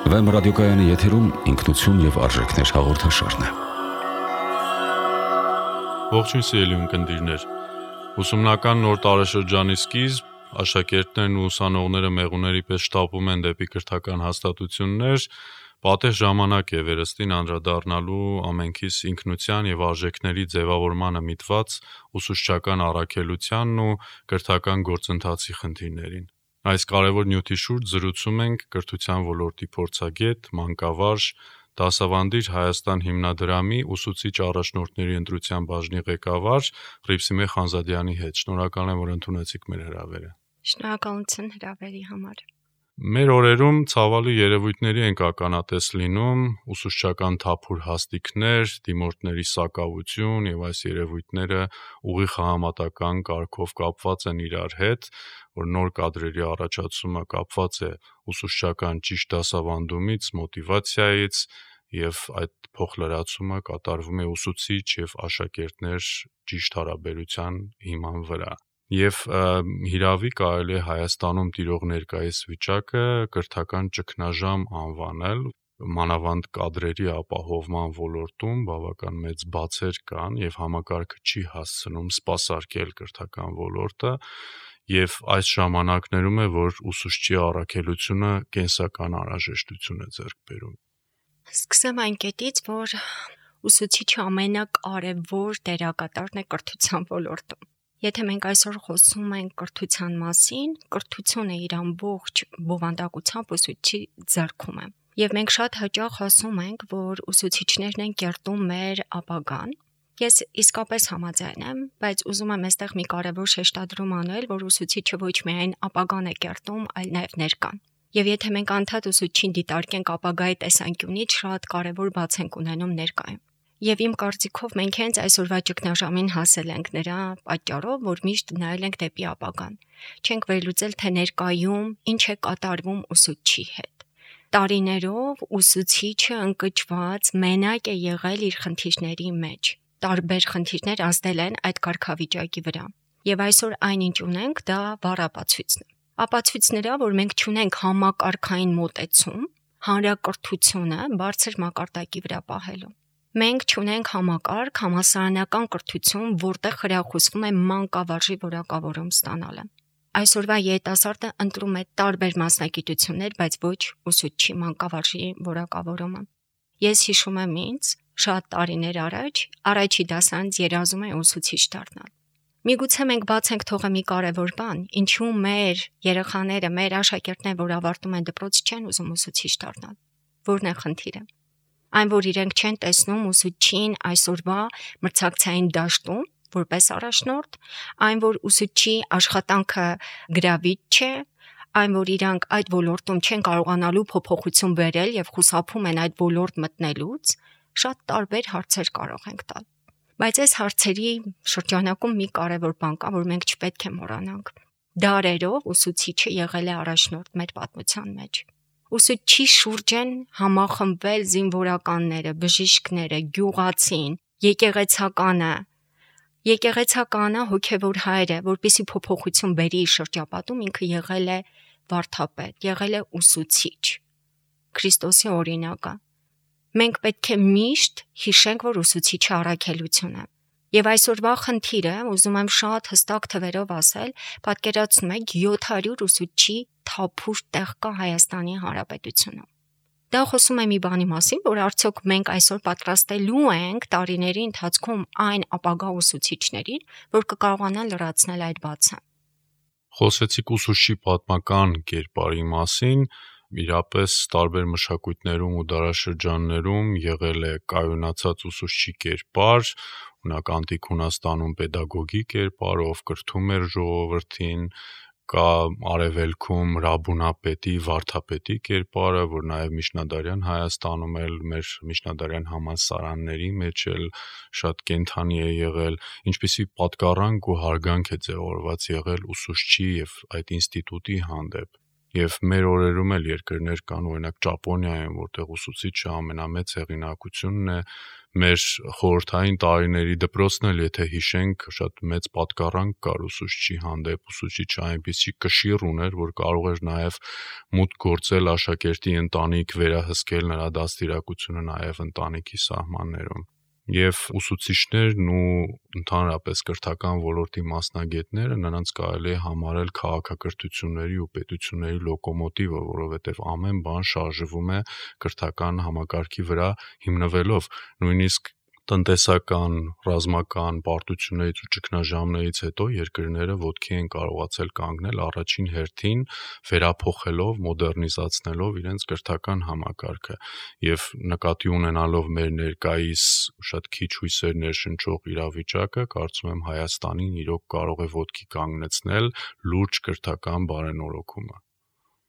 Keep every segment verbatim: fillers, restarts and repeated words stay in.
Վեմ ռադիոկայանի եթերում ինքնություն և արժեքներ հաղորդաշարն է։ Ողջույն սիրելի ունկնդիրներ, ուսումնական նոր տարեշրջանի սկիզբ, աշակերտներն ու ուսանողները մեղուների պես շտապում են դեպի կրթական հաստատություններ, պատեհ ժամանակ է վերստին անդրադառնալու ամենքիս ինքնության և արժեքների ձևավորմանը միտված ուսուցչական առաքելությանն ու կրթական գործընթացի խնդիրներին։ Այս կարևոր նյութի շուրջ զրուցում ենք կրթության ոլորտի փորձագետ, մանկավարժ, Դասավանդիր Հայաստան հիմնադրամի ուսուցիչ առաջնորդների ընտրության բաժնի ղեկավար Ղրիփսիմե Խանզադյանի հետ։ Շնորհակալ եմ, որ ընդունեցիք մեր հրավերը։ Շնորհակալություն հրավերի համար։ Մեր օրերում ցավալի երևույթների ենք ականատես լինում, ուսուցչական թափուր հաստիքներ, դիմորդների սակավություն եւ այս երևույթները ուղիղ համատական կարգով կապված են իրար հետ, որ նոր կադրերի առաջացումը կապված է ուսուցչական ճիշտ դասավանդումից, մոտիվացիայից եւ այդ փոխլրացումը կատարվում է ուսուցիչ եւ աշակերտներ ճիշտ հարաբերության հիման վրա։ Եվ հիրավի կարելի է Հայաստանում տիրող ներկայիս վիճակը կրթական ճգնաժամ անվանել, մանավանդ կադրերի ապահովման ոլորտում բավական մեծ բացեր կան եւ համակարգը չի հասցնում սպասարկել կրթական ոլորտը, եւ այս ժամանակներում է, որ ուսուցչի առաքելությունը կենսական անհրաժեշտություն է ձեռք բերում։ Սկսեմ այն կետից, որ ուսուցիչը ամենակարևոր դերակատարն է կրթության ոլորտում։ Եթե մենք այսօր խոսում ենք կրթության մասին, կրթությունը իր ամբողջ բովանդակությամբ ուսուցչի ձեռքում է։ Եվ մենք շատ հաճախ ասում ենք, որ ուսուցիչներն են կերտում մեր ապագան։ Ես իսկապես համաձայն եմ, բայց ուզում եմ այստեղ մի կարևոր շեշտադրում անել, որ ուսուցիչը ոչ միայն ապագան է կերտում, այլ նաև ներկան։ Եվ եթե մենք անդադ ուսուցչին դիտարկենք ապագայի տեսանկյունից, շատ կարևոր բաց ենք ունենում ներկայում։ Եվ իմ կարծիքով մենք հենց այսօրվա ճգնաժամին հասել ենք նրա պատճառով, որ միշտ նայել ենք դեպի ապագան։ Չենք վերլուծել, թե ներկայում ինչ է կատարվում ուսուցչի հետ։ Տարիներով ուսուցիչը ընկճված մենակ է եղել իր խնդիրների մեջ։ Տարբեր խնդիրներ ազդել են այդ կարգավիճակի վրա։ Եվ այսօր այնինչ ունենք, դա վառ ապացույցն է։ Ապացույց նրա, որ մենք չունենք համակարգային մոտեցում, հանրակրթությունը բարձր մակարդակի վրա պահելու։ Մենք չունենք համակարգ, համալսարանական կրթություն, որտեղ խրախուսվում է մանկավարժի որակավորում ստանալը։ Այսօրվա երիտասարդը ընտրում է տարբեր մասնագիտություններ, բայց ոչ ուսուցչի մանկավարժի որակավորումը։ Ես հիշում եմ ինձ շատ տարիներ առաջ առաջի դասանց երազում է ուսուցիչ դառնալ։ Միգուցե մենք բաց ենք թողել մի կարևոր բան, ինչու մեր երեխաները, մեր աշակերտները, որ ավարտում են դպրոց, չեն ուզում ուսուցիչ դառնալ։ Որն է խնդիրը։ Այն, որ իրենք չեն տեսնում ուսուցչին այսօրվա մրցակցային դաշտում որպես առաջնորդ, այն, որ ուսուցչի աշխատանքը գրավիչ չէ, այն, որ իրանք այդ ոլորտում չեն կարողանալու փոփոխություն բերել եւ խուսափում են այդ ոլորտ մտնելուց, շատ տարբեր հարցեր կարող ենք տալ։ Բայց այս հարցերի շրջանակում մի կարևոր բան կա, որ մենք չպետք է մոռանանք։ Դարերով ուսուցիչը եղել է առաջնորդ մեր պատմության մեջ։ Ուսուցչի շուրջ են համախմբվել զինվորականները, բժիշկները, գյուղացին, եկեղեցականը։ Եկեղեցականը հոգևոր հայր է, որպեսզի փոփոխություն բերի իր շրջապատում, ինքը եղել է վարդապետ, եղել է ուսուցիչ, Քրիստոսի օրինակը։ Մենք պետք է միշտ հիշենք, որ ուսուցիչը առաքելություն է։ Եվ այսօրվա խնդիրը, ուզում եմ շատ հստակ թվերով ասել, պատկերացնում եք յոթ հարյուր ուսուցչի թափուր տեղ կա Հայաստանի Հանրապետությունում։ Դա խոսում է մի բանի մասին, որ արդյոք մենք այսօր պատրաստելու ենք տարիների ընթացքում այն ապագա ուսուցիչներին, որ կկարողանան լրացնել այդ բացը։ Խոսեցիք ուսուցչի պատմական կերպարի մասին, իրապես տարբեր մշակույթներում ու դարաշրջաններում եղել է կայունացած ուսուցչի կերպար, օրինակ անտիկ Հունաստանում պետագոգի կերպարը, ով կրթում էր ժողովրդին, կա արևելքում Ռաբունապետի, վարդապետի կերպարը, որ նաև միջնադարյան Հայաստանում էլ մեր միջնադարյան համալսարանների մեջ էլ շատ կենդանի է եղել, ինչպիսի պատկառանք ու հարգանք է ձևավորված եղել ուսուցչի եւ այդ ինստիտուտի հանդեպ։ Եվ մեր օրերում էլ երկրներ կան, օրինակ Ճապոնիայում, որտեղ ուսուցիչը ամենամեծ հեղինակությունն է, մեր խորհրդային տարիների դպրոցն էլ, եթե հիշենք, շատ մեծ պատկառանք կար ուսուցչի հանդեպ, ուսուցիչը այնպիսի կշիռ ուներ, որ կարող էր նաև մուտք գործել աշակերտի ընտանիք, վերահսկել նրա դաստիարակությունը նաև ընտանիքի սահմաններում։ Եվ ուսուցիչներն ու ընդհանրապես կրթական ոլորտի մասնագետները նրանց կարելի է համարել քաղաքակրթությունների ու պետությունների լոկոմոտիվը, որովհետև ամեն բան շարժվում է կրթական համակարգի վրա հիմնվելով, նույնիսկ տնտեսական, ռազմական պարտություններից ու ճգնաժամերից հետո երկրները ոտքի են կարողացել կանգնել առաջին հերթին, վերափոխելով, մոդեռնիզացնելով իրենց կրթական համակարգը եւ նկատի ունենալով մեր ներկայիս շատ քիչ հույսեր ներշնչող իրավիճակը, կարծում եմ Հայաստանին իրոք կարող է ոտքի կանգնեցնել լուրջ կրթական բարենորոգումը։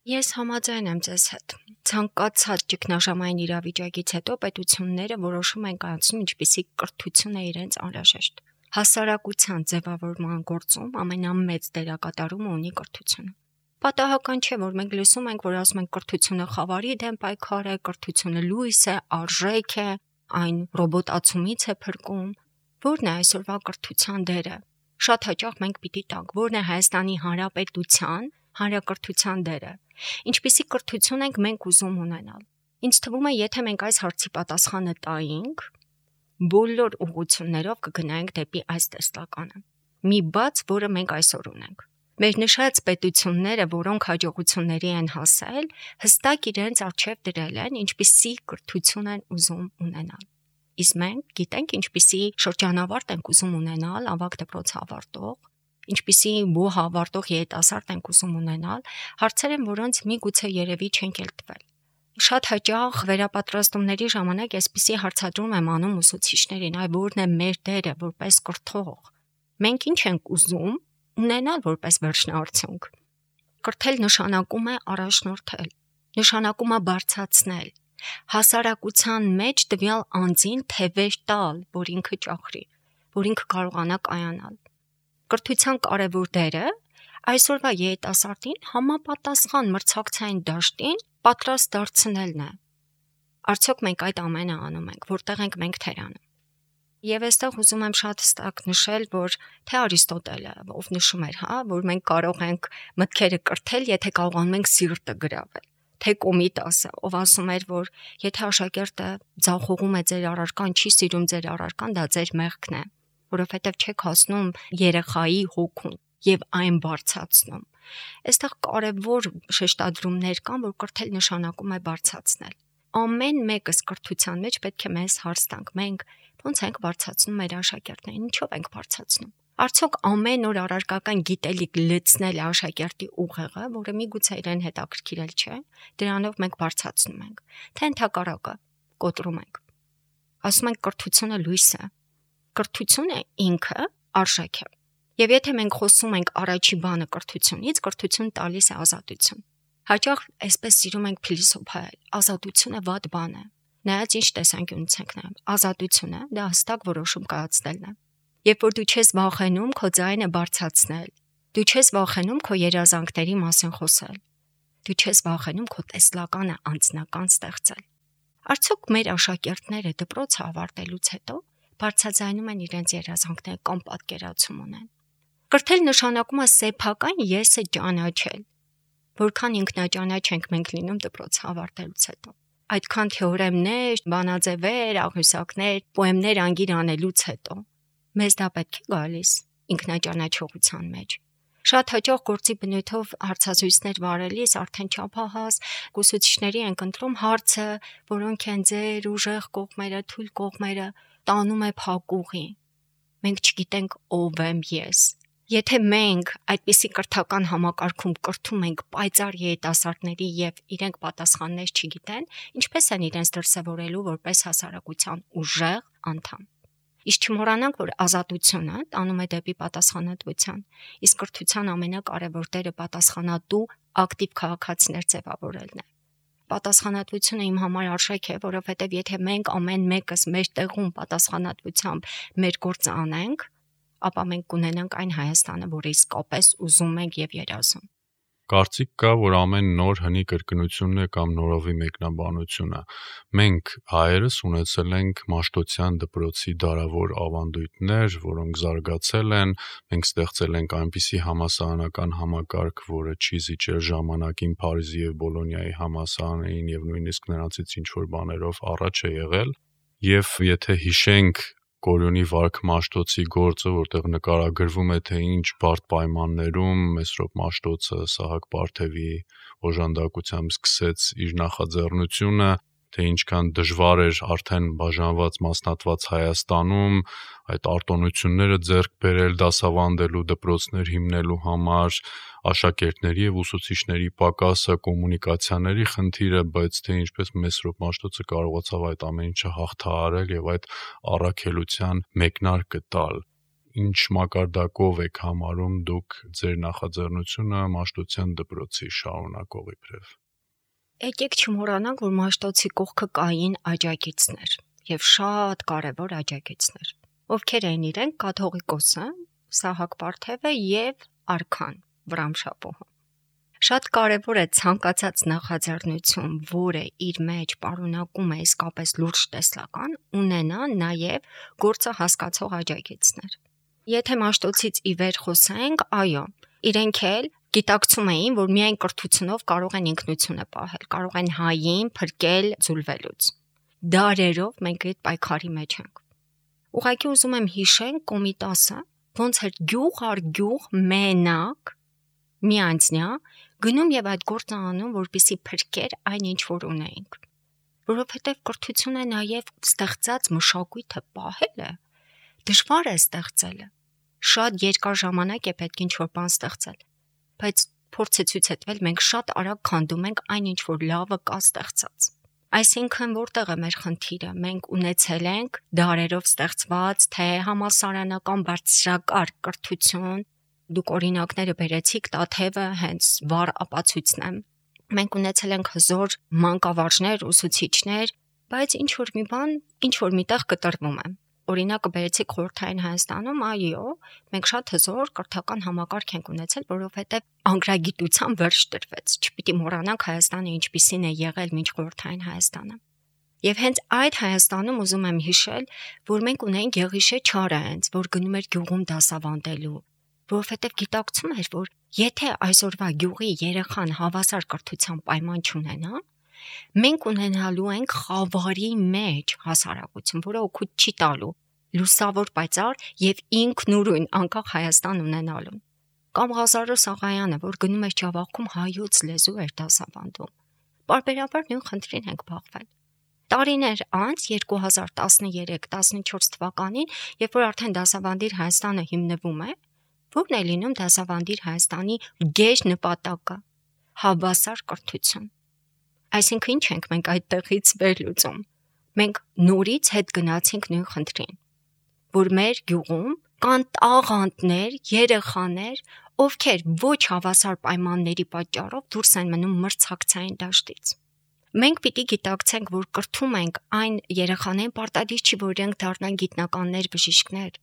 Ես համաձայն եմ ձեզ հետ։ Ցանկացած ճգնաժամային իրավիճակից հետո պետությունները որոշում են կայացնում, ինչպիսի կրթություն է իրենց անհրաժեշտ։ Հասարակության ձևավորման գործում ամենամեծ դերակատարումը ունի կրթությունը։ Պատահական չէ, որ մենք լսում ենք, որ ասում են կրթությունը խավարի դեմ պայքար է, կրթությունը լույս է, արժեք է, այն ռոբոտացումից է փրկում։ Որն է այսօրվա կրթության դերը։ Շատ հաճախ մենք պիտի տանք, որն է Հայաստանի Հանրապետության հանրակրթության դերը։ Ինչպիսի կրթություն ենք մենք ուզում ունենալ։ Ինձ թվում է, եթե մենք այս հարցի պատասխանը տայինք, բոլոր ուղղություններով կգնայինք դեպի այս տեսլականը։ Մի բաց, որը մենք այսօր ունենք։ Մեր նշած պետությունները, որոնք հաջողությունների են հասել, հստակ իրենց առջև դրել են, ինչպիսի կրթություն են ուզում ունենալ։ Իսկ մենք գիտենք, ինչպիսի շրջանավարտ ենք ուզում ունենալ, ավագ դպրոց ավարտող, ինչպիսի բու հավարտող երիտասարդ ենք ուզում ունենալ, հարցեր են, որոնց միգուցե երևի չենք էլ տվել։ Շատ հաճախ վերապատրաստումների ժամանակ այսպիսի հարցադրում եմ անում ուսուցիչներին, այ որն է մեր դերը որպես կրթող։ Մենք ինչ ենք ուզում ունենալ որպես վերջնաարդյունք։ Կրթել նշանակում է առաջնորդել, նշանակում է բարձրացնել, հասարակության մեջ տվյալ անձին թևեր տալ, որ ինքը ճախրի, որ ինքը կարողանա կայանալ։ Կրթության կարևոր դերը այսօրվա երիտասարդին համապատասխան մրցակցային դաշտին պատրաստ դարձնելն է։ Արդյոք մենք այդ ամենը անում ենք, որտեղ ենք մենք թերանում։ Եվ այստեղ ուզում եմ շատ հստակ նշել, որ թե Արիստոտելը, ով նշում էր, հա, որ մենք կարող ենք մտքերը կրթել, եթե կարողանում ենք սիրտը գրավել, թե Կոմիտասը, ով ասում էր, որ եթե աշակերտը ձախողում է ձեր առարկան, չի սիրում ձեր առարկան, դա ձեր մեղքն է, որովհետև չեք հասնում երեխայի հոգուն եւ այն բարձրացնում։ Այստեղ կարևոր շեշտադրումներ կան, որ կրթել նշանակում է բարձրացնել։ Ամեն մեկս կրթության մեջ պետք է մեզ հարց տանք, մենք ո՞նց ենք բարձրացնում մեր աշակերտներին, ինչով ենք բարձրացնում։ Արդյոք ամեն օր առարկական գիտելիք լցնել աշակերտի ուղեղը, որը միգուցե իրեն հետաքրքիրել չէ, դրանով մենք բարձրացնում ենք, թե ընդհակառակը կոտրում ենք։ Ասում ենք կրթությունը լույս է։ Կրթությունը ինքը արժեք է։ Եվ եթե մենք խոսում ենք առաջի բանը կրթությունից, կրթություն տալիս է ազատություն։ Հաճախ այսպես սիրում ենք փիլիսոփայել, ազատությունը վատ բան է։ Նայած ինչ տեսանկյունից ենք նայում, ազատությունը դա հստակ որոշում կայացնելն է։ Երբ որ դու չես վախենում քո ձայնը բարձրացնել, դու չես վախենում քո երազանքների մասին խոսել, դու չես վախենում քո տեսլականը անձնական ստեղծել։ Արդյոք մեր աշակերտները դպրոցը ավարտելուց հետո բարձրաձայնում են իրենց երազանքները կամ պատկերացում ունեն։ Կրթել նշանակում է սեփական եսը ճանաչել, որքան ինքնաճանաչ ենք մենք լինում դպրոցը ավարտելուց հետո։ Այդքան թեորեմներ, բանաձևեր, աղյուսակներ, պոեմներ անգիր անելուց հետո մեզ դա պետք է գալիս ինքնաճանաչողության մեջ։ Շատ հաճախ գործի բնույթով հարցազրույցներ վարելիս արդեն չափահաս ուսուցիչների են ընտրում հարցը, որոնք են ձեր ուժեղ կողմերը, թույլ կողմերը, տանում է փակուղի։ Մենք չգիտենք ով եմ ես։ Եթե մենք այդպիսի կրթական համակարգում կրթում ենք պայծառ երիտասարդների եւ իրենք պատասխաններ չգիտեն, ինչպես են իրենց դրսևորելու որպես հասարակության ուժեղ անդամ։ Իսկ չմոռանանք, որ ազատությունը տանում է դեպի պատասխանատվության, իսկ կրթության ամենակարևոր դերը պատասխանատու ակտիվ քաղաքացիներ ձևավորելն է։ Պատասխանատվությունը իմ համար արժեք է, որովհետև եթե մենք ամեն մեկս մեր տեղում պատասխանատվությամբ մեր գործը անենք, ապա մենք կունենանք այն Հայաստանը, որը իսկապես ուզում ենք եւ երազում։ Կարծիք կա, որ ամեն նոր հնի կրկնությունն է կամ նորովի մեկնաբանությունը։ Մենք հայերս ունեցել ենք Մաշտոցյան դպրոցի դարավոր ավանդույթներ, որոնք զարգացել են, մենք ստեղծել ենք այնպիսի համասարանական համակարգ, որը չի զիջել ժամանակին Փարիզի եւ Բոլոնիայի համասարաններին եւ նույնիսկ նրանցից ինչ որ բաներով առաջ է եղել, եւ եթե հիշենք Կորյունի Վարք Մաշտոցի գործը, որտեղ նկարագրվում է, թե ինչ բարդ պայմաններում Մեսրոպ Մաշտոցը Սահակ Պարթևի օժանդակությամբ սկսեց իր նախաձեռնությունը, թե ինչքան դժվար էր արդեն բաժանված մասնատված Հայաստանում այդ արտոնությունները ձեռք բերել դասավանդելու, դպրոցներ հիմնելու համար, աշակերտների եւ ուսուցիչների պակասը, կոմունիկացիաների խնդիրը, բայց թե ինչպես Մեսրոպ Մաշտոցը կարողացավ այդ ամեն ինչը հաղթահարել եւ այդ առաքելության մեկնարկը տալ։ Ինչ մակարդակով եք համարում դուք ձեր նախաձեռնությունը Մաշտոցյան դպրոցի շարունակողի բրև։ Եկեք չմոռանանք, որ Մաշտոցի կողքը կային աջակիցներ եւ շատ կարեւոր աջակիցներ, ովքեր էին իրենք կաթողիկոսը, Սահակ Պարթևը եւ արքան Վրամշապոհը։ Շատ կարեւոր է ցանկացած նախաձեռնություն, որը իր մեջ պարունակում է իսկապես լուրջ տեսլական, ունենա նաեւ գործը հասկացող աջակիցներ։ Եթե Մաշտոցից ի վեր խոսենք, այո, իրենք էլ գիտակցում էին, որ միայն կրթությունով կարող են ինքնությունը պահել, կարող են հային փրկել ձուլվելուց։ Դարերով մենք այդ պայքարի մեջ ենք։ Ուղղակի ուզում եմ հիշել Կոմիտասը, ոնց էր գյուղ առ գյուղ մենակ մի անձնյա գնում եւ այդ գործը անում, որպեսզի փրկեր այն ինչ որ ունեինք։ Որովհետեւ կրթությունը նաեւ ստեղծած մշակույթը պահելը դժվար է ստեղծելը։ Շատ երկար ժամանակ է պետք ինչ որ բան ստեղծել, բայց փորձը ցույց է տվել մենք շատ արագ քանդում ենք այն ինչ որ լավը կա ստեղծած։ Այսինքն որտեղ է մեր խնդիրը։ Մենք ունեցել ենք դարերով ստեղծված թե համալսարանական բարձրակարգ կրթություն, դուք օրինակները բերեցիք, Տաթևը հենց վառ ապացույցն է։ Մենք ունեցել ենք հզոր մանկավարժներ, ուսուցիչներ, բայց ինչ որ մի բան, ինչ որ միտեղ կտրվում է։ Օրինակը բերեցիք Խորհրդային Հայաստանում, այո, մենք շատ հզոր կրթական համակարգ ենք ունեցել, որովհետև անգրագիտության վերջ տրվեց։ Չպիտի մոռանանք Հայաստանը ինչպիսին է եղել մինչ Խորհրդային Հայաստանը։ Եվ հենց այդ Հայաստանում ուզում եմ հիշել, որ մենք ունենք Գեղիշե Չարը հենց, որ գնում էր գյուղում դասավանդելու, որովհետև գիտակցում էր, որ եթե այսօրվա գյուղի երեխան հավասար կրթության պայման չունենա, մենք ունենալու ենք խավարի մեջ հասարակություն, որը օգուտ չի տալու, լուսավոր պայծառ եւ ինքնուրույն անկախ Հայաստան ունենալուն։ Կամ Ղազարո Սաղայանը, որ գնում էր Ջավախքում հայոց լեզու էր դասավանդում։ Պարբերաբար նույն խնդրին ենք բախվել։ Տարիներ անց երկու հազար տասներեք տասնչորս թվականին, երբ որ արդեն դասավանդիր Հայաստանը հիմնվում է, որն է լինում դասավանդիր Հայաստանի գեշ նպատակը՝ հավասար կրթություն։ Այսինքն ինչ ենք մենք այդտեղից վերլուծում։ Մենք նորից հետ գնացինք նույն խնդրին, որ մեր գյուղում կան տաղանդներ, երեխաներ, ովքեր ոչ հավասար պայմանների պատճառով դուրս են մնում մրցակցային դաշտից։ Մենք պիտի գիտակցենք, որ կրթում ենք այն երեխաներին, պարտադիր չի, որ իրենք դառնան գիտնականներ, բժիշկներ,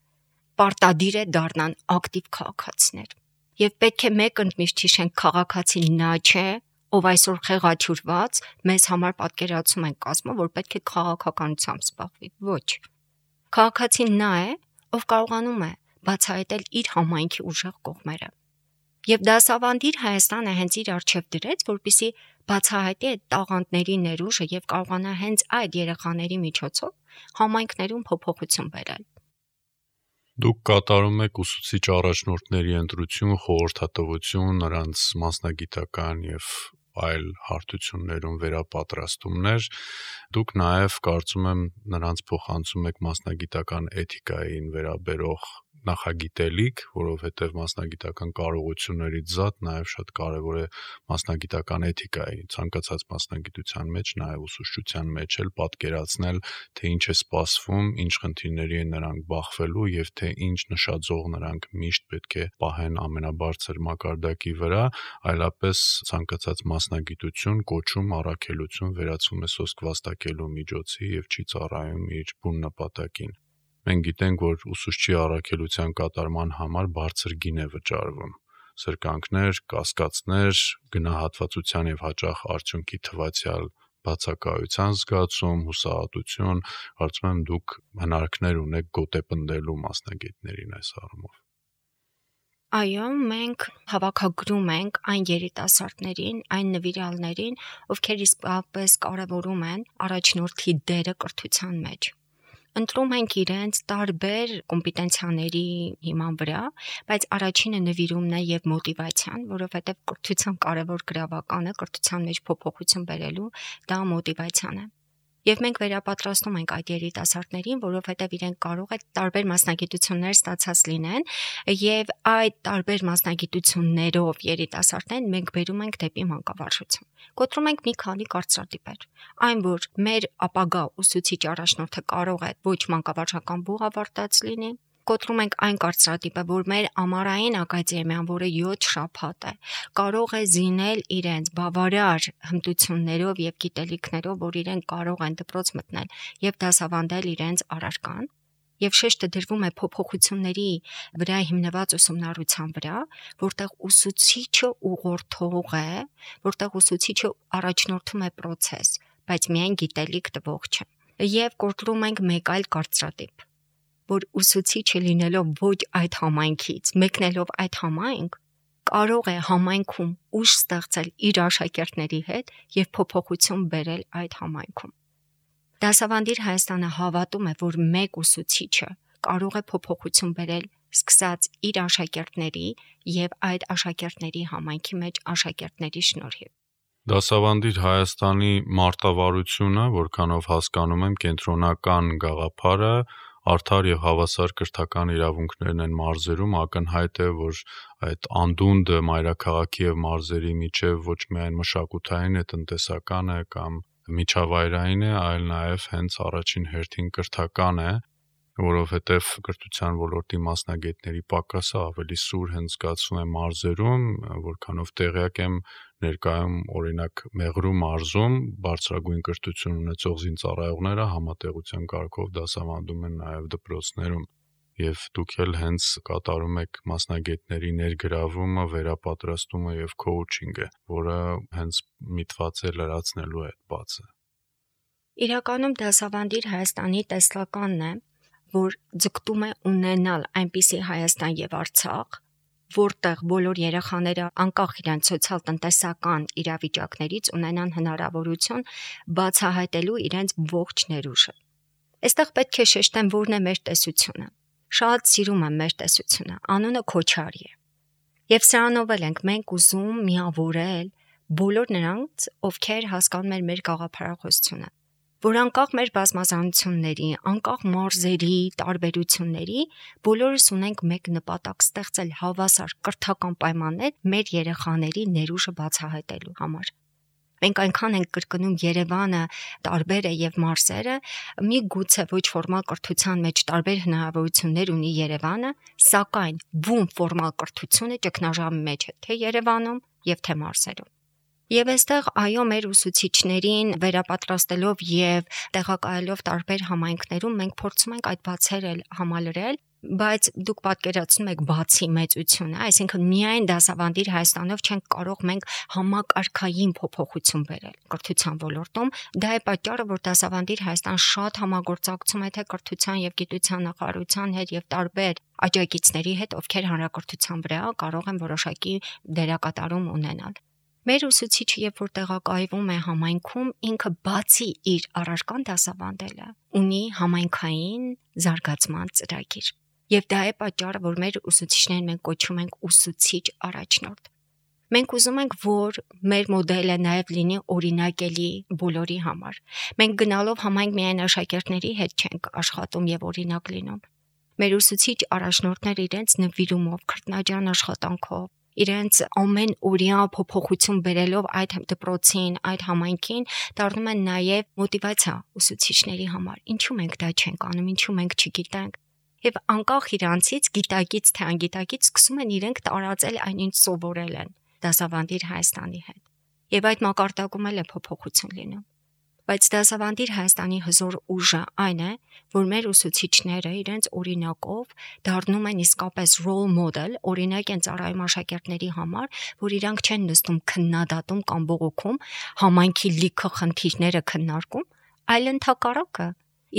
պարտադիր է դառնան ակտիվ քաղաքացիներ։ Եվ պետք է մեկ ընդմիշտ հիշենք, քաղաքացին նա չէ, ով այսօր խեղաթյուրված մեզ համար պատկերացում են կազմում, որ պետք է քաղաքականությամբ զբաղվի։ Ոչ։ Քաղաքացին նա է, ով կարողանում է բացահայտել իր համայնքի ուժեղ կողմերը։ Եվ դասավանդիր Հայաստանը հենց իր առջև դրեց, որպեսզի բացահայտի այդ տաղանդների ներուժը եւ կարողանա հենց այդ երեխաների միջոցով համայնքներում փոփոխություն բերել։ Դուք կատարում եք ուսուցիչ առաջնորդների ընտրություն, խորհրդատվություն, նրանց մասնագիտական եւ այլ հարթություններում վերապատրաստումներ, դուք նաև կարծում եմ նրանց փոխանցում եք մասնագիտական էթիկային վերաբերող նախագիտելիք, որովհետև մասնագիտական կարողություններից զատ նաև շատ կարևոր է մասնագիտական էթիկայի, ցանկացած մասնագիտության մեջ, նաև ուսուցչության մեջ էլ պատկերացնել, թե ինչ է սպասվում, ինչ խնդիրների են նրանք բախվելու եւ թե ինչ նշաձող նրանք միշտ պետք է պահեն ամենաբարձր մակարդակի վրա, այլապես ցանկացած մասնագիտություն, կոչում, առաքելություն վերածվում է սոսկ վաստակելու միջոցի եւ չի ծառայում իր բուն նպատակին։ Մենք գիտենք, որ ուսուցչի առաքելության կատարման համար բարձր գին է վճարվում։ սրկանքներ, կասկածներ, գնահատվածության եւ հաճախ արդյունքի թվացial բացակայության զգացում, հուսահատություն, կարծում եմ դուք հնարքներ ունեք գոտեպնդելու մասնագետներին այս առումով։ Այո, մենք հավաքագրում ենք այն երիտասարդներին, այն նվիրալներին, ովքեր իսկապես կարևորում են առաջնորդի դերը կրթության մեջ։ Ընտրում ենք իրենց տարբեր կոմպետենցիաների հիման վրա, բայց առաջինը նվիրումն է եւ մոտիվացիան, որովհետեւ կրթության կարևոր գրավականը կրթության մեջ փոփոխություն բերելու դա մոտիվացիան է։ Եվ մենք վերապատրաստում ենք այդ երիտասարդներին, որովհետև իրենք կարող է տարբեր մասնագիտություններ ստացած լինեն, եւ այդ տարբեր մասնագիտություններով երիտասարդներին մենք բերում ենք դեպի մանկավարժություն։ Կոտրում ենք մի քանի կարծրատիպեր։ Այն, որ մեր ապագա ուսուցիչ առաջնորդը կարող է ոչ մանկավարժական բուհ ավարտած լինի, կոտրում ենք այն կարծրատիպը, որ մեր ամառային ակադեմիան, որը յոթ շաբաթ է, կարող է զինել իրենց բավարար հմտություններով եւ գիտելիքներով, որ իրենք կարող են դպրոց մտնել եւ դասավանդել իրենց առարկան, եւ շեշտը դրվում է փոփոխությունների վրա հիմնված ուսումնառության վրա, որտեղ ուսուցիչը ուղղորդող է, որտեղ ուսուցիչը առաջնորդում է process, բայց միայն գիտելիք տվող չէ։ Եվ կոտրում ենք մեկ այլ կարծրատիպ, որ ուսուցիչը լինելով ոչ այդ համայնքից, մեկնելով այդ համայնք, կարող է համայնքում ուժ ստեղծել իր աշակերտների հետ եւ փոփոխություն բերել այդ համայնքում։ Դասավանդիր Հայաստանը հավատում է, որ մեկ ուսուցիչը կարող է փոփոխություն բերել սկսած իր աշակերտների եւ այդ աշակերտների համայնքի մեջ աշակերտների շնորհիվ։ Դասավանդիր Հայաստանի մարտավարությունը, որքանով հասկանում եմ, կենտրոնական գաղափարը արդար եւ հավասար կրթական իրավունքներն են մարզերում, ակնհայտ է, որ այդ անդունդը մայրաքաղաքի եւ մարզերի միջև ոչ միայն մշակութային է, տնտեսական է կամ միջավայրային է, այլ նաեւ հենց առաջին հերթին կրթական է, որովհետեւ կրթության ոլորտի մասնագետների պակասը ավելի սուր հենց զգացվում է մարզերում, որքանով տեղյակ եմ ներկայում օրինակ Մեղրու մարզում բարձրագույն կրթություն ունեցող զինծառայողները համատեղության կարգով դասավանդում են նաև դպրոցներում եւ դուք էլ հենց կատարում եք մասնագետների ներգրավումը, վերապատրաստումը եւ քոուչինգը, որը հենց միտված է լրացնելու այդ բացը։ Իրականում դասավանդիր Հայաստանի տեսլականն է, որ ձգտում է ունենալ այնպիսի Հայաստան եւ Արցախ, որտեղ բոլոր երեխաները անկախ իրենց սոցիալ-տնտեսական իրավիճակներից ունենան հնարավորություն բացահայտելու իրենց ողջ ներուժը։ Այստեղ պետք է շեշտեմ, որն է մեր տեսությունը։ Շատ սիրում եմ մեր տեսությունը, անունը Քոչարի է։ Եվ սրանով էլ ենք մենք ուզում միավորել բոլոր նրանց, ովքեր հասկանում են մեր գաղափարախոսությունը, որ անկախ մեր բազմազանությունների, անկախ մարզերի, տարբերությունների, բոլորս ունենք մեկ նպատակ ստեղծել հավասար կրթական պայմաններ մեր երեխաների ներուժը բացահայտելու համար։ Մենք այնքան ենք կրկնում Երևանը տարբեր է եւ մարզերը, մի գուցե ոչ ֆորմալ կրթության մեջ տարբեր հնարավորություններ ունի Երևանը, սակայն բուն ֆորմալ կրթությունը ճգնաժամի մեջ է թե Երևանում եւ թե մարզերում։ Եվ այստեղ այո մեր ուսուցիչներին վերապատրաստելով եւ տեղակայելով տարբեր համայնքներում մենք փորձում ենք այդ բացերը համալրել, բայց դուք պատկերացնում եք բացի մեծությունը, այսինքն միայն դասավանդիր Հայաստանով չենք կարող մենք համակարգային փոփոխություն բերել կրթության ոլորտում, դա է պատճառը, որ դասավանդիր Հայաստան շատ համագործակցում է թե կրթության եւ գիտության նախարարության հետ եւ տարբեր աջակիցների հետ, ովքեր հանրակրթության վրա կարող են որոշակի դերակատարում ունենալ։ Մեր ուսուցիչը, երբ որ տեղակայվում է համայնքում, ինքը բացի իր առարկան դասավանդելը, ունի համայնքային զարգացման ծրագիր։ Եվ դա է պատճառը, որ մեր ուսուցիչներին մենք կոչում ենք ուսուցիչ առաջնորդ։ Մենք ուզում ենք, որ մեր մոդելը նաև լինի օրինակելի բոլորի համար։ Մենք գնալով համայնք միայն աշակերտների հետ չենք աշխատում եւ օրինակ լինում։ Մեր ուսուցիչ առաջնորդները իրենց նվիրումով, քրտնաջան աշխատանքով, իրենց ամեն օրյա փոփոխություն բերելով այդ դպրոցին, այդ համայնքին, դառնում են նաև մոտիվացիա ուսուցիչների համար։ Ինչու մենք դա չենք անում, ինչու մենք չգիտենք։ Եվ անկախ իրանցից գիտակից թե անգիտակից սկսում են իրենք տարածել այն, ինչ սովորել են դասավանդիր Հայաստանի հետ։ Եվ այդ մակարդակում էլ է փոփոխություն լինում։ Բայց դասավանդիր Հայաստանի հզոր ուժը այն է, որ մեր ուսուցիչները իրենց օրինակով դառնում են իսկապես role model, օրինակ են ծառայում աշակերտների համար, որ իրանք չեն նստում քննադատում կամ բողոքում, համայնքի լիքը խնդիրները քննարկում, այլ ընդհակառակը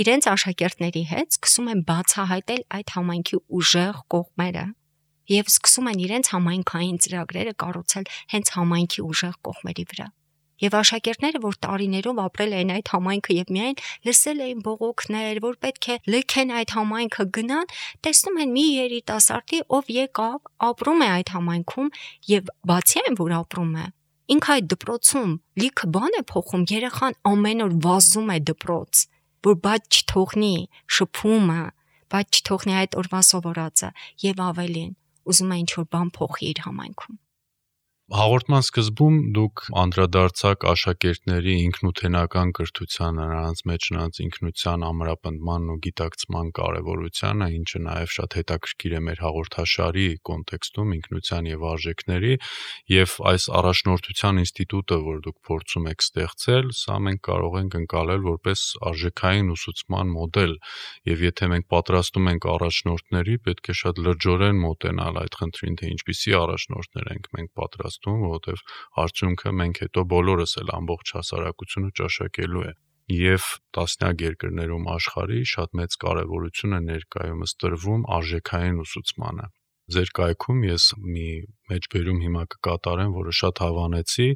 իրենց աշակերտների հետ սկսում են բացահայտել այդ համայնքի ուժեղ կողմերը եւ սկսում են իրենց համայնքային ծրագրերը կառուցել հենց համայնքի ուժեղ կողմերի վրա։ Եվ աշակերտները, որ տարիներով ապրել էին այդ համայնքը եւ միայն լսել էին բողոքներ, որ պետք է լքեն այդ համայնքը գնան, տեսնում են մի երիտասարդի, ով եկավ, ապրում է այդ համայնքում եւ բացի այն, որ ապրում է, ինքը այդ դպրոցում լիքը բան է փոխում, երեխան ամեն օր վազում է դպրոց, որ բաց չթողնի շփումը, բաց չթողնի այդ օրվա սովորածը եւ ավելին, ուզում է ինչ-որ բան փոխի իր համայնքում։ Հաղորդման սկզբում դուք անդրադարձաք աշակերտների ինքնութենական կրթությանը, նրանց մեջ նրանց ինքնության ամրապնդման ու գիտակցման կարևորությանը, ինչը նաև շատ հետաքրքիր է մեր հաղորդաշարի կոնտեքստում ինքնության եւ արժեքների, եւ այս առաջնորդության ինստիտուտը, որ դուք փորձում եք ստեղծել, սա մենք կարող ենք ընկալել որպես արժեքային ուսուցման մոդել, եւ եթե մենք պատրաստում ենք առաջնորդների, պետք է շատ լրջորեն մոտենալ այդ խնդրին, թե ինչպիսի առաջնորդներ ենք մենք պատրաստում, որովհետև արդյունքը մենք հետո բոլորս էլ ամբողջ հասարակությունը ճաշակելու է։ Եվ տասնյակ երկրներում աշխարհի շատ մեծ կարևորություն է ներկայումս տրվում արժեքային ուսուցմանը։ Ձեր կայքում ես մի մեջբերում հիմա կկատարեմ, որը շատ հավանեցի,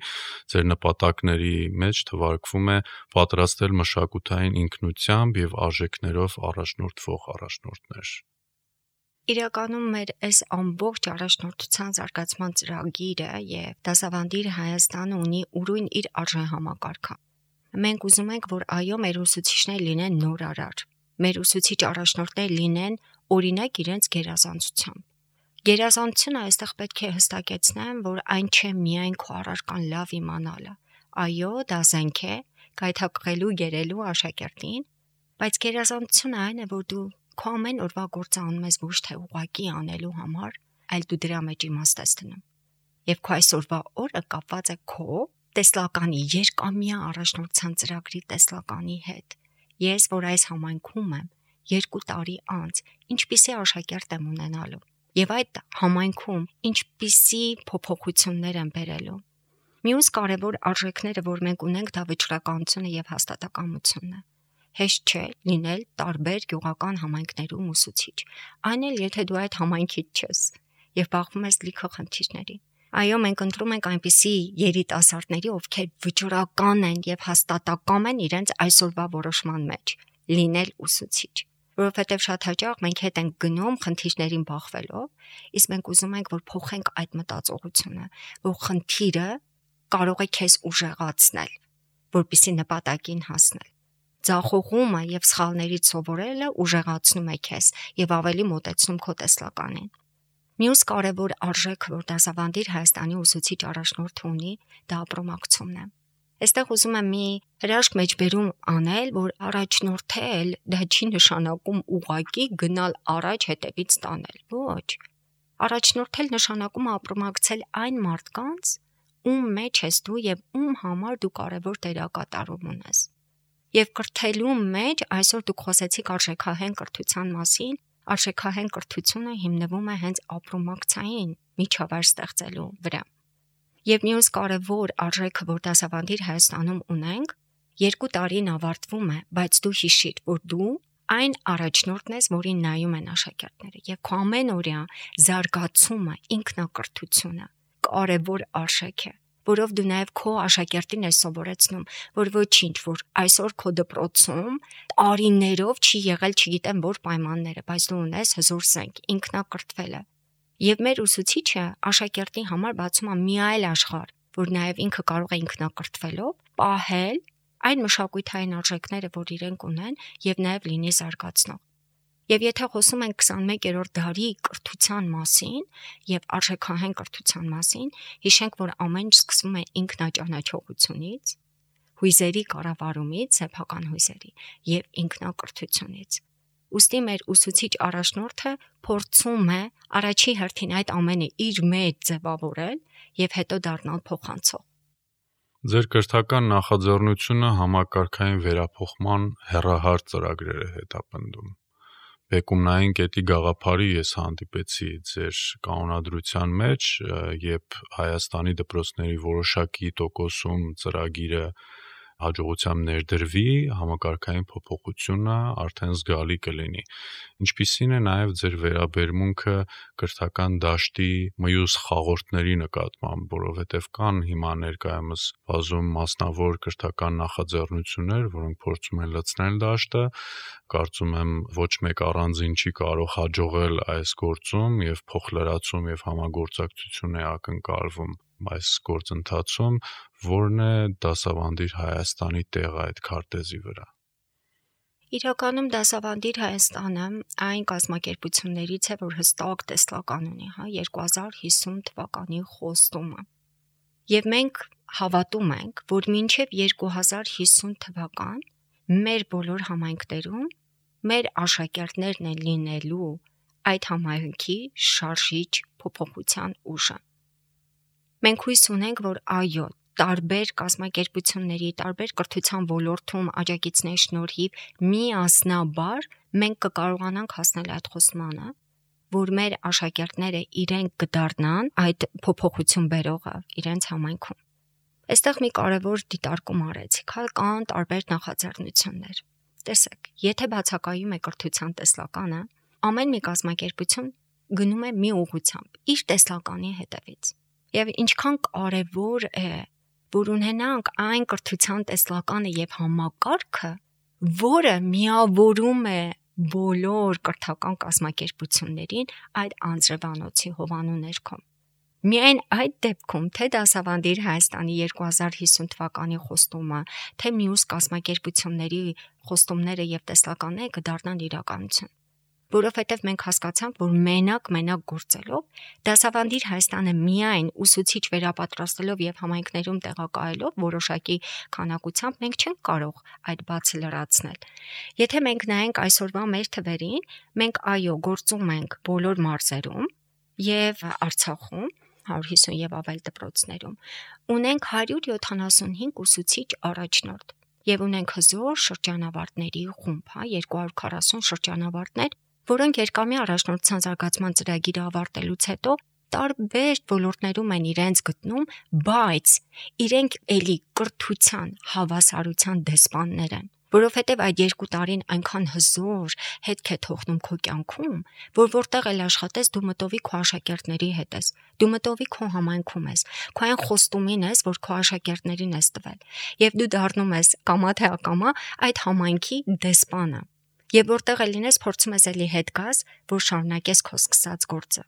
ձեր նպատակների մեջ թվարկվում է պատրաստել մշակութային ինքնությամբ եւ արժեքներով առաջնորդվող առաջնորդներ։ Իրականում մեր այս ամբողջ առաջնորդության զարգացման ծրագիրը եւ դասավանդիր Հայաստանը ունի ուրույն իր արժեհամակարգը։ Մենք ուզում ենք, որ այո, մեր ուսուցիչները լինեն նորարար, մեր ուսուցիչ առաջնորդները լինեն օրինակ իրենց գերազանցությամբ։ Գերազանցությունը այստեղ պետք է հստակեցնեմ, որ այն չէ միայն քո առարկան լավ իմանալը։ Այո, դա զենք է, գայթակղելու, գերելու աշակերտին, բայց գերազանցությունը այն է, որ դու քո ամեն օրվա գործը անում ես ոչ թե ուղղակի անելու համար, այլ դու դրա մեջ իմաստ ես դնում։ Եվ քո այսօրվա օրը կապված է քո տեսլականի երկամյա առաջնորդության ծրագրի տեսլականի հետ։ Ես, որ այս համայնքում եմ, երկու տարի անց, ինչպիսի աշակերտ եմ ունենալու, եւ այդ համայնքում ինչպիսի փոփոխություններ են բերելու։ Մյուս կարևոր արժեքները, որ մենք ունենք, դա վճռականությունը եւ հաստատակամությունն է։ Հեշտ չէ լինել տարբեր գյուղական համայնքներում ուսուցիչ, այն էլ եթե դու այդ համայնքից ես եւ բախվում ես լիքը խնդիրների։ Այո, մենք ընտրում ենք այնպիսի երիտասարդների, ովքեր վճռական են եւ հաստատակամ են իրենց այսօրվա որոշման մեջ լինել ուսուցիչ, որովհետեւ շատ հաճախ մենք հետ ենք գնում խնդիրներին բախվելով, իսկ մենք ուզում ենք, որ փոխենք այդ մտածողությունը, որ խնդիրը կարող է քեզ ուժեղացնել, որպեսզի նպատակին հասնել։ Ձախողումը եւ սխալներից սովորելը ուժեղացնում է քեզ եւ ավելի մոտեցնում քո տեսլականին։ Մյուս կարևոր արժեքը, որ դասավանդիր Հայաստանի ուսուցիչ առաջնորդը ունի, դա ապրոմակցումն է։ Այստեղ ուզում եմ մի հրաշք մեջբերում անել, որ առաջնորդել դա չի նշանակում ուղղակի գնալ առաջ հետևից տանել։ Ոչ։ Առաջնորդել նշանակում է ապրոմակցել այն մարդկանց, ում մեջ ես դու եւ ում համար դու կարևոր դերակատարում ունես։ Եվ կրթելու մեջ այսօր դուք խոսեցիք արժեքահեն կրթության մասին, արժեքահեն կրթությունը հիմնվում է հենց ապրոմակցային միջավայր ստեղծելու վրա։ Եվ մյուս կարևոր արժեքը, որ դասավանդիր Հայաստանում ունենք, երկու տարին ավարտվում է, բայց դու հիշիր, որ դու այն առաջնորդն ես, որին նայում են աշակերտները, եւ քո ամենօրյա զարգացումը, ինքնակրթությունը կարևոր արժեք է, որով դու նաև քո աշակերտին ես սովորեցնում, որ ոչինչ, որ այսօր քո դպրոցում տարիներով չի եղել, չգիտեմ որ պայմանները, բայց դու ունես հզոր զենք, ինքնակրթվելը։ Եվ մեր ուսուցիչը աշակերտի համար բացում է մի այլ աշխարհ, որ նաև ինքը կարող է ինքնակրթվելով պահել այն մշակութային արժեքները, որ իրենք ունեն, եւ նաև լինի զարգացնող։ Եվ եթե խոսում ենք քսանմեկերորդ դարի կրթության մասին եւ արժեքահեն կրթության մասին, հիշենք, որ ամեն ինչ սկսվում է ինքնաճանաչողությունից, հույզերի կառավարումից, սեփական հույզերի եւ ինքնակրթությունից։ Ուստի մեր ուսուցիչ առաջնորդը փորձում է առաջի հերթին այդ ամենը իր մեջ ձևավորել եւ հետո դառնալ փոխանցող։ Ձեր կրթական նախաձեռնությունը համակարգային վերափոխման հեռահար ծրագրեր է հետապնդում։ Բեկումնային կետի գաղափարի ես հանդիպեցի ձեր կանոնադրության մեջ, երբ Հայաստանի դպրոցների որոշակի տոկոսում ծրագիրը հաջողությամբ ներդրվի, համակարգային փոփոխությունը արդեն զգալի կլինի։ Ինչպիսին է նաև ձեր վերաբերմունքը կրթական դաշտի մյուս խաղորդների նկատմամբ, որովհետև կան հիմա ներկայումս բազում մասնավոր կրթական նախաձեռնություններ, որոնք փորձում են լցնել դաշտը, կարծում եմ ոչ մեկ առանձին չի կարող հաջողել այս գործում եւ փոխլրացում եւ համագործակցություն է ակնկալվում այս գործընթացում, որն է դասավանդիր Հայաստանի տեղը այդ քարտեզի վրա։ Իրականում դասավանդիր Հայաստանը այն կազմակերպություններից է, որ հստակ տեսլական ունի, հա, երկու հազար հիսուն թվականի խոստումը։ Եվ մենք հավատում ենք, որ մինչև երկու հազար հիսուն թվական մեր բոլոր համայնքներում մեր աշակերտներն են լինելու այդ համայնքի շարժիչ փոփոխության ուժը։ Մենք հույս ունենք, որ այո, տարբեր կազմակերպությունների, տարբեր կրթության ոլորտում աջակիցների շնորհիվ միասնաբար մենք կկարողանանք հասնել այդ խոստմանը, որ մեր աշակերտները իրենք կդառնան այդ փոփոխություն բերողը իրենց համայնքում։ Այստեղ մի կարևոր դիտարկում արեցիք, հա, կան տարբեր նախաձեռնություններ։ Տեսեք, եթե բացակայում է կրթության տեսլականը, ամեն մի կազմակերպություն գնում է մի ուղղությամբ, իր տեսլականի հետևից։ Եվ ինչքան կարևոր է, որ ունենանք այն կրթության տեսլականը եւ համակարգը, որը միավորում է բոլոր կրթական կազմակերպություններին այդ անձրևանոցի հովանու ներքո։ Միայն այդ դեպքում, թե դասավանդիր Հայաստանի երկու հազար հիսուն թվականի խոստումը, թե մյուս կազմակերպությունների խոստումները եւ տեսլականները կդառնան իրականություն։ Որովհետև մենք հասկացանք, որ մենակ-մենակ գործելով դասավանդիր Հայաստանը միայն ուսուցիչ վերապատրաստելով եւ համայնքներում տեղակայելով որոշակի քանակությամբ մենք չենք կարող այդ բացը լրացնել։ Եթե մենք նայենք այսօրվա մեր թվերին, մենք այո, գործում ենք բոլոր մարզերում եւ Արցախում հարյուր հիսուն եւ ավել դպրոցներում ունենք հարյուր յոթանասունհինգ ուսուցիչ առաջնորդ եւ ունենք հզոր շրջանավարտների խումբ, հա, երկու հարյուր քառասուն շրջանավարտներ, որոնք երկամի առաջնորդության զարգացման ծրագիրը ավարտելուց հետո տարբեր ոլորտներում են իրենց գտնում, բայց իրենք էլի կրթության, հավասարության դեսպաններ են, որովհետև այդ երկու տարին այնքան հզոր հետք է թողնում քո կյանքում, որ որտեղ էլ աշխատես, դու մտովի քո աշակերտների հետ ես, դու մտովի քո համայնքում ես, քո այն խոստումին ես, որ քո աշակերտներին ես տվել, եւ դու դառնում ես կամա թե ակամա այդ համայնքի դեսպանը, եւ որտեղ էլ լինես, փորձում ես էլի հետ գաս, որ շարունակես քո սկսած գործը։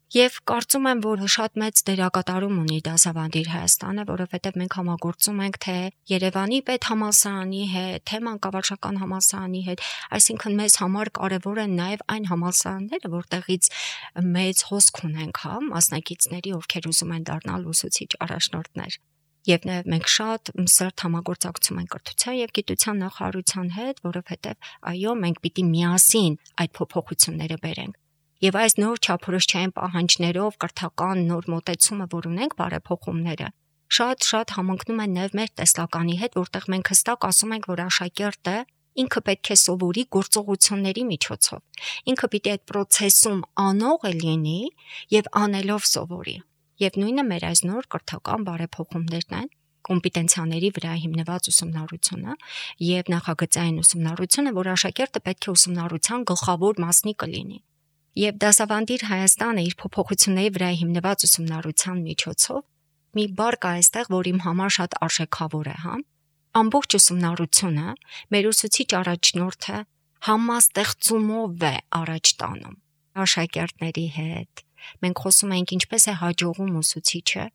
Եվ կարծում եմ, որ շատ մեծ դերակատարում ունի դասավանդիր Հայաստանը, որովհետև մենք համագործում ենք թե Երևանի պետհամալսարանի հետ, թե մանկավարժական համալսարանի հետ, այսինքն մեզ համար կարևոր են նաև այն համալսարանները, որտեղից մեծ հոսք ունենք, հա, մասնակիցների, ովքեր ուզում են դառնալ ուսուցիչ առաջնորդներ։ Եվ նաև մենք շատ սերտ համագործակցում ենք կրթության եւ գիտության նախարարության հետ, որովհետև այո, մենք պիտի միասին այդ փոփոխությունները բերենք։ Եվ այս նոր չափորոշչային պահանջներով կրթական նոր մոտեցումը, որ ունենք բարեփոխումները, շատ-շատ համընկնում են նաև մեր տեսլականի հետ, որտեղ մենք հստակ ասում ենք, որ աշակերտը ինքը պետք է սովորի գործողությունների միջոցով։ Ինքը պիտի այդ process-ում անող լինի եւ անելով սովորի։ Եվ նույնը մեր այս նոր կրթական բարեփոխումներն են, կոմպետենցիաների վրա հիմնված ուսումնառությունը եւ նախագծային ուսումնառությունը, որ աշակերտը պետք է ուսումնառության գլխավոր մասնիկը լինի։ Եվ դասավանդիր Հայաստանը իր փոփոխությունների վրա հիմնված ուսումնառության միջոցով մի բառ կա այստեղ, որ իմ համար շատ արժեքավոր է, հա։ Ամբողջ ուսումնառությունը մեր ուսուցիչ առաջնորդը համաստեղծումով է առաջ տանում աշակերտների հետ։ Մենք խոսում ենք ինչպես է հաջողում ուսուցիչը,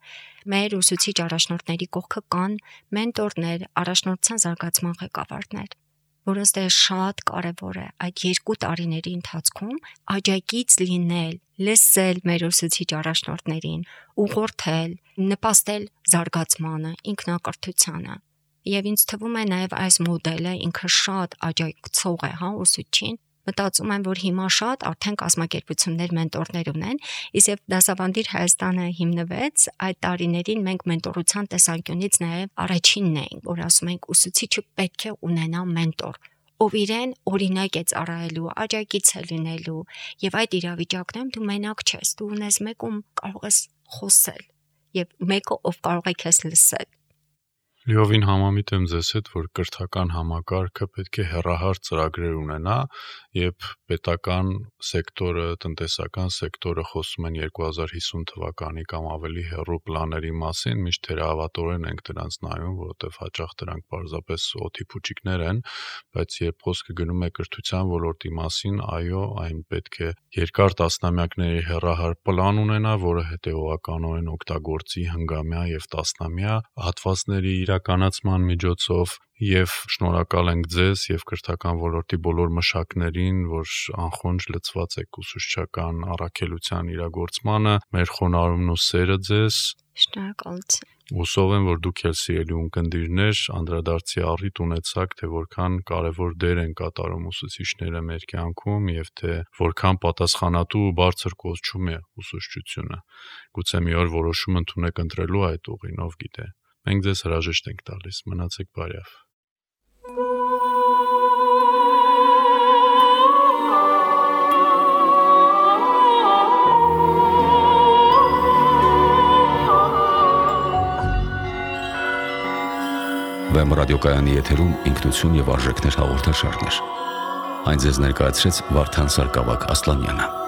մեր ուսուցիչ առաջնորդների կողքը կան մենտորներ, առաջնորդության զարգացման ղեկավարներ, որոնց դեր շատ կարևոր է այդ երկու տարիների ընթացքում աջակից լինել, լսել մեր ուսուցիչ առաջնորդներին, ուղղորդել, նպաստել զարգացմանը, ինքնակրթությանը։ Եվ ինձ թվում է նաև այս մոդելը ինքը շատ աջակցող է, հա, ուսուցչին, մտածում եմ, որ հիմա շատ արդեն կազմակերպություններ մենտորներ ունեն, իսկ դասավանդիր Հայաստանը հիմնվեց, այդ տարիներին մենք մենտորության տեսանկյունից նաև առաջինն էինք, որ ասում ենք ուսուցիչը պետք է ունենա մենտոր, ով իրեն օրինակ է ծառայելու, աջակից է լինելու, եւ այդ իրավիճակներում դու մենակ չես, դու ունես մեկ, ում կարող ես խոսել, եւ մեկը ով կարող է քեզ լսել։ Լիովին համամիտ եմ ձեզ հետ, որ կրթական համակարգը պետք է հեռահար ծրագրեր ունենա, եւ պետական սեկտորը, տնտեսական սեկտորը խոսում են երկու հազար հիսուն թվականի կամ ավելի հեռու պլաների մասին, միշտ թերահավատորեն ենք դրանց նայում, որովհետեւ հաճախ դրանք պարզապես օդի փուչիկներ են, բայց երբ խոսքը գնում է կրթության ոլորտի մասին, այո, այն պետք է երկար տասնամյակների հեռահար պլան ունենա, որը հետեւողականորեն օգտագործի հնգամյա եւ տասնամյա հատվածների իրականացման միջոցով, եւ շնորհակալ ենք ձեզ եւ կրթական ոլորտի բոլոր մշակներին, որ անխոնջ լծված եք ուսուցչական առաքելության իրագործմանը, մեր խոնարհումն ու սերը ձեզ։ Շնորհակալություն։ Հուսով եմ, որ դուք ել սիրելի ունկնդիրներ անդրադարձի առիթ ունեցաք, թե որքան կարևոր դեր են կատարում ուսուցիչները մեր կյանքում եւ թե որքան պատասխանատու ու բարձր կոչում է ուսուցչությունը։ Գուցե մի օր որոշում ընդունեք ընտրելու այդ ուղին, ով գիտե։ Մենք ձեզ հրաժեշտ ենք տալիս, մնացեք բարյավ։ Վեմ ռադիոկայանի եթերում ինքնություն եւ արժեքներ հաղորդաշարներ։ Այն ձեզ ներկայացրեց Վարդան Սարգսակ Ասլանյանը։